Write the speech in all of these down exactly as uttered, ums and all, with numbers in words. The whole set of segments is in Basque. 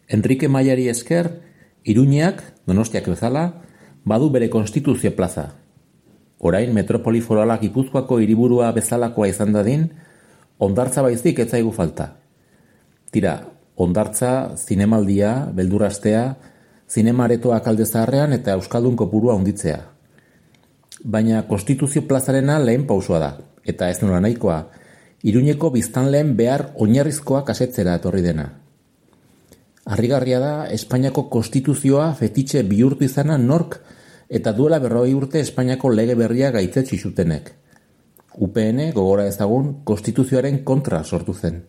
Enrique Mayari esker, Iruñeak, Donostiak bezala, badu bere konstituzio plaza. Orain metropoli forala Gipuzkoako hiriburua bezalakoa izan dadin, hondartza baizik ez zaigu falta. Tira, hondartza, zinemaldia, beldurastea, zinemaretoak alde zaharrean eta euskaldun kopurua handitzea. Baina konstituzio plazarena lehen pausoa da, eta ez nola nahikoa, Iruñeko biztanleen behar oinarrizkoak asetzera etorri dena. Harrigarria da Espainiako konstituzioa fetitxe bihurtu izana nork eta duela berrogei urte Espainiako lege berria gaitzetsi zutenek. U P N gogora ezagun konstituzioaren kontra sortu zen.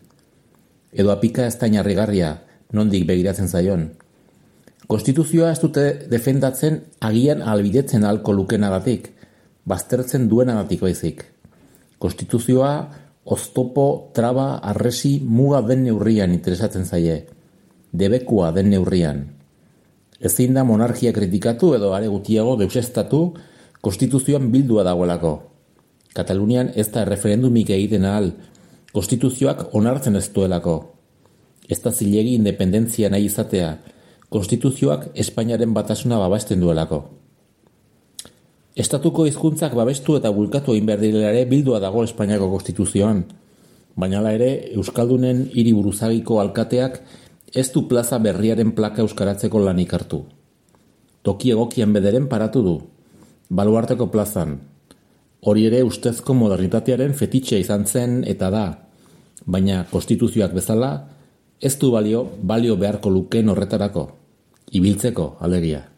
Edo apika ez da harrigarria, nondik begiratzen zaion. Konstituzioa ez dute defendatzen agian albidetzen ahalko lukenagatik, baztertzen duenagatik baizik. Konstituzioa oztopo, traba, arresi, muga den neurrian interesatzen zaie. Debekua den neurrian. Ezin da monarkia kritikatu edo are gutiago deusestatu konstituzioan bildua dagoelako. Katalunian ez da referendumik egiten ahal, konstituzioak onartzen ez duelako. Ez da zilegi independentzia nahi izatea, konstituzioak Espainiaren batasuna babesten duelako. Estatuko hizkuntzak babestu eta bulkatu egin behar direla ere bildua dago Espainiako konstituzioan, baina hala ere Euskaldunen hiriburuzagiko alkateak ez du plaza berriaren plaka euskaratzeko lanik hartu. Toki egokian bederen paratu du, baluarteko plazan. Hori ere ustezko modernitatearen fetitxe izan zen eta da, baina konstituzioak bezala ez du balio, balio beharko lukeen horretarako, ibiltzeko alegia.